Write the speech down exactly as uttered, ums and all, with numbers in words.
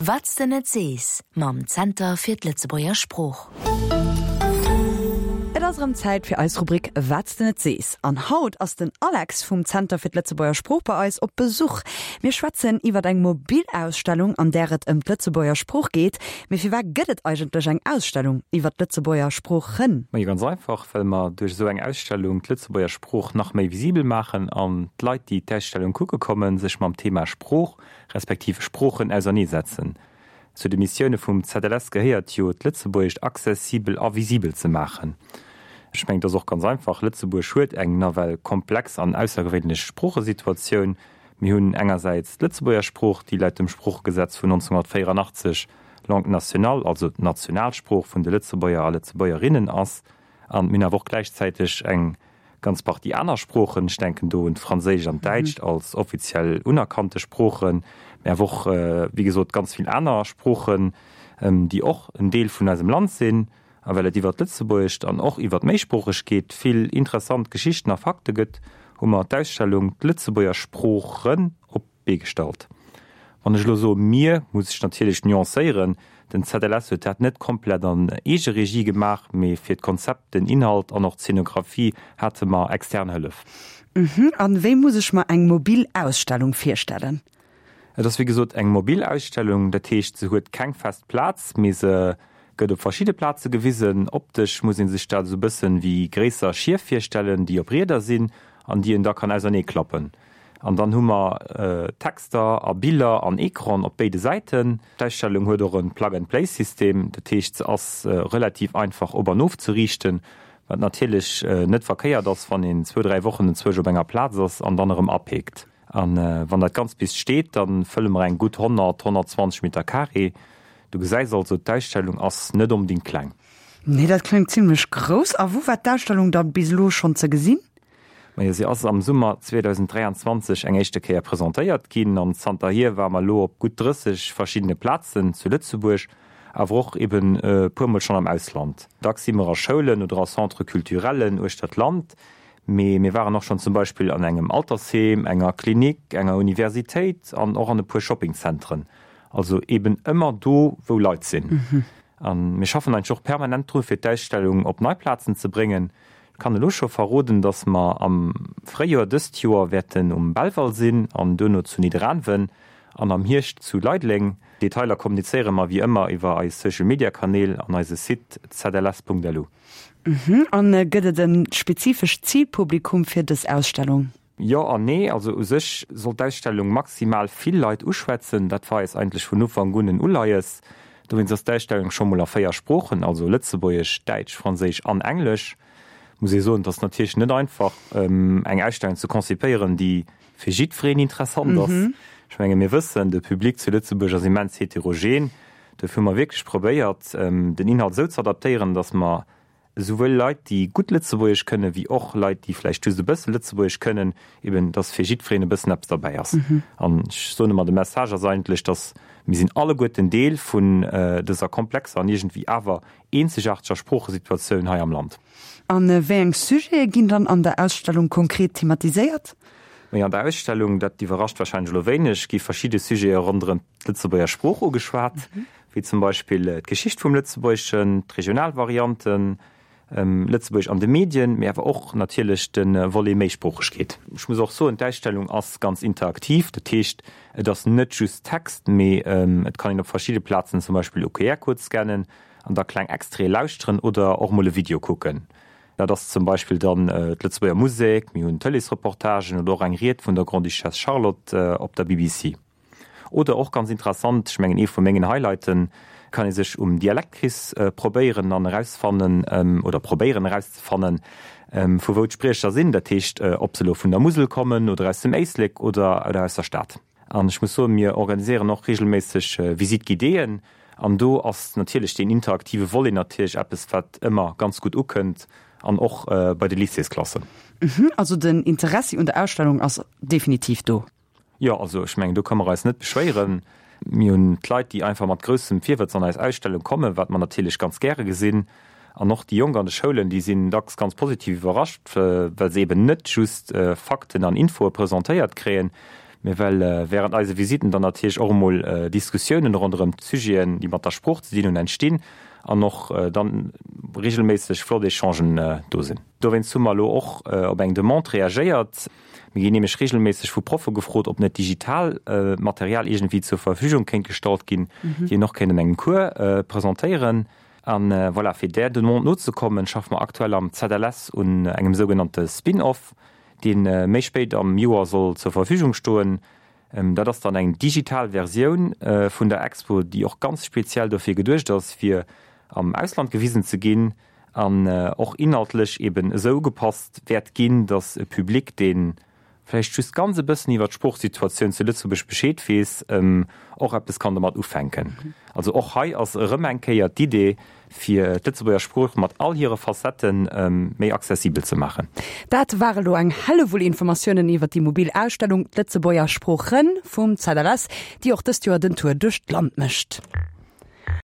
Wat s de net sees mam Zenter fir d'Lëtzebuerger Sprooch. Et ass erëm Zäit fir eis Rubrik Wat s de net sees. An haut ass den Alex vum Zenter fir d'Lëtzebuerger Sprooch bei eis op Besuch. Mir schwätzen iwwer eng mobil Ausstellung, an där et ëm d'Lëtzebuerger Sprooch geet. Mee firwat gëtt et eigentlech eng Ausstellung iwwer d'Lëtzebuerger Sproochen? Majo ganz einfach, well mer duerch esou eng Ausstellung d'Lëtzebuerger Sprooch nach méi visibel maachen an d'Leit, déi d'Ausstellung kucke kommen, sech mam Thema Sprooch respektiv Sproochen auserneesetzen. Zu de Missioune vum ZLS gehéiert jo, d'Lëtzebuergescht accessibel a visibel ze maachen. Ech mengen, et ass och ganz einfach, Lëtzebuerg huet eng nawell komplex an aussergewéinlech Sproochesituatioun. Mir hunn engersäits d'Lëtzebuerger Sprooch, déi laut dem Sproochegesetz vun nonzénghunnertvéierunachtzeg Langue nationale, also d'Nationalsprooch vun de Lëtzebuerger a Lëtzebuergerinnen ass. An mir hunn awer och gläichzäiteg eng ganz Partie aner Sproochen, ech denken do un d'Franséischt an d'Däitscht als offiziell unerkannte Sproochen, mä awer och, wéi gesot, ganz vill aner Sproochen, déi och en Deel vun eisem Land sinn. A well et iwwer d'Lëtzebuergescht an och iwwer d'Méisproochegkeet vill interessant Geschichten a Fakte gëtt, hu mer d'Ausstellung D'Lëtzebuerger Sproochen op d'Bee gestallt. Wann ech elo soe mir, muss ech natierlech nuancéieren, Den ZLS huet dat net komplett an Eegeregie gemaach, mee fir d'Konzept, den Inhalt an och d'Zeenografie hate mer extern Hëllef. Mhm, an wéi muss ech mer eng mobil Ausstellung virstellen? Et ass wéi gesot eng mobil Ausstellung, dat heescht se huet keng fest Plaz, mee se gëtt op verschidde Plaze gewisen. Optesch muss ee sech dat esou bëssen wéi gréisser Schief virstellen, déi op Rieder sinn an déi een da kann ausernee klappen. An dann hu mer Texter a Biller an Ecran op béide Säiten. D'Ausstellung huet och e Plug-and-Play-System, dat heescht se ass relativ einfach op an ofzeriichten, wat natierlech net verkéiert ass, wann een zwou, dräi Wochen enzwousch op enger Plaz ass an dann erëm apeekt. A wann dat Ganzt bis steet, da fëlle mer eng gutt honnert, honnertzwanzeg Meter carré. Du gesäis also, d'Ausstellung ass net onbedéngt kleng. Nee, dat kléngt zimlech grouss. A wou war d'Ausstellung dann bis elo schonn ze gesinn? Majo, si ass am Summer zweedausend dräianzwanzeg eng éischte Kéier presentéiert ginn an zanterhier ware mer elo op gutt drësseg verschiddene Plazen zu Lëtzebuerg, awer och eben e puermol schonn am Ausland. Dacks si mer a Schoulen oder a Centres culturellen uechter d'Land, mee mir waren och schonn zum Beispill an engem Altersheem, enger Klinik, enger Universitéit an och an e puer Shoppingzentren. Also eben ëmmer do, wou Leit sinn. A mir schaffen eigentlech och permanent dru fir d'Ausstellung op nei Plazen ze bréngen. Ech kann elo scho verroden, dass mer am Fréijoer dëst Joer wäerten um Belval sinn an duerno zu Nidderaanwen an am Hierscht zu Leideleng. Detailer kommunizéiere mer wéi ëmmer iwwer eis Social Media Kanäl an eise Site zls.lu. An gëtt et e spezifescht Zilpublikum fir dës Ausstellung? Jo an nee. Also u sech soll d'Ausstellung maximal vill Leit uschwätzen. Dat war eis eigentlech vun Ufank un en Uleies. Dowéinst ass d'Ausstellung scho mol a véier Sproochen, also Lëtzebuergesch, Däitsch, Franséisch an Englesch. Muss ee soen, et ass natierlech net einfach, eng Ausstellung ze konzipéieren, déi fir jiddwereen interessant ass. Ech menge mir wëssen, de Public zu Lëtzebuerg ass immens heterogen. Dofir hu mer wierklech probéiert, den Inhalt esou ze adaptéieren, datt mer esouwuel Leit, déi gutt Lëtzebuergesch kënnen, wéi och Leit, déi vläicht just e bësse Lëtzebuergesch kënnen, eben dass fir jiddwereen e bëssen eppes derbäi ass. An ech soen ëmmer, de Message ass eigentlech, dass mir sinn alleguerten Deel vun dëser komplexer an iergendwéi awer eenzegaarteger Sproochesituatioun hei am Land. A wéi eng Sujete ginn dann an der Ausstellung konkret thematiséiert? Majo, an der Ausstellung, dat iwwerrascht warscheinlech elo wéineg, gi verschidde Sujete ronderëm d'Lëtzebuerger Sprooch ugeschwat, wéi zum Beispill d'Geschicht vum Lëtzebuergeschen, d'regional Varianten, Lëtzebuergesch an de Medien, mee awer och natierlech de Volet Méisproochegkeet. Ech muss och soen, d'Ausstellung ass ganz interaktiv, dat heescht, et ass net just Text, mee et kann een op verschidde Plazen zum Beispill e Q R-Code scannen an da kleng Extraite lauschteren oder och mol e Video kucken. Dat ass zum Beispill dann d'Lëtzebuerger Musek, mir hunn Tëleesreportagen oder och eng Ried vun der Grande-Duchesse Charlotte op der B B C. Oder och ganz interessant, ech mengen ee vu mengen Highlighten, kann ee sech um Dialektquiz probéieren an erausfannen oder probéieren erauszefannen, vu wou d'Spriecher sinn, dat heescht ob se elo vun der Musel kommen oder aus dem Éislek oder aus der Stad. An ech muss soen, mir organiséieren och reegelméisseg Visite guidéeën an do ass natierlech deen interaktive Volet natierlech eppes, wat ëmmer ganz gutt ukënnt an och bei de Lycéesklassen. Also den Interessi un der Ausstellung ass definitiv do? Jo, also ech mengen, do ka mer eis net beschwéieren. Mir hunn d'Leit, déi einfach mat groussem Virwëtz an eis Ausstellung kommen, wat mer natierlech ganz gäre gesinn. An och déi Jonk an de Schoulen, déi sinn dacks ganz positiv iwwerrascht, well se eben net just Fakten an Infoe presentéiert kréien, Mee well wärend eise Visitten dann natierlech och emol Diskussiounen ronderëm d'Sujeten, déi mat der Sprooch ze dinn hunn, entstinn an och dann reegelméisseg flott Echangen do sinn. Dowéinst hu mer elo och op eng Demande reagéiert. Mir ginn nämlech reegelméisseg vu Proffe gefrot, ob net digital Material iergendwéi zur Verfügung kéint gestallt ginn, déi een och kéint an engem Cours presentéieren. A voilà, fir där Demande nozekommen, schaffe mer aktuell am ZLS un engem sougenannte Spin-off, dee méi spéit am Joer soll zur Verfügung stoen. Dat ass dann eng digital Versioun vun der Expo, déi och ganz speziell dofir geduecht ass, fir am Ausland gewisen ze ginn an och inhaltlech eben esou ugepasst wäert ginn, datt e Public, dee vläicht just ganz e bëssen iwwer d'Sproochsituatioun zu Lëtzebuerg Bescheed weess, och eppes kann domat ufänken. Also och hei ass erëm eng Kéier d'Idee, fir d'Lëtzebuerger Sprooch mat all hire Facettë méi accessibel ze maachen. Dat ware lo eng Hellewull Informatiounen iwwer déi mobil Ausstellung D'Lëtzebuerger Sproochen vum ZLS, déi och dëst Joer den Tour duerch d'Land mécht.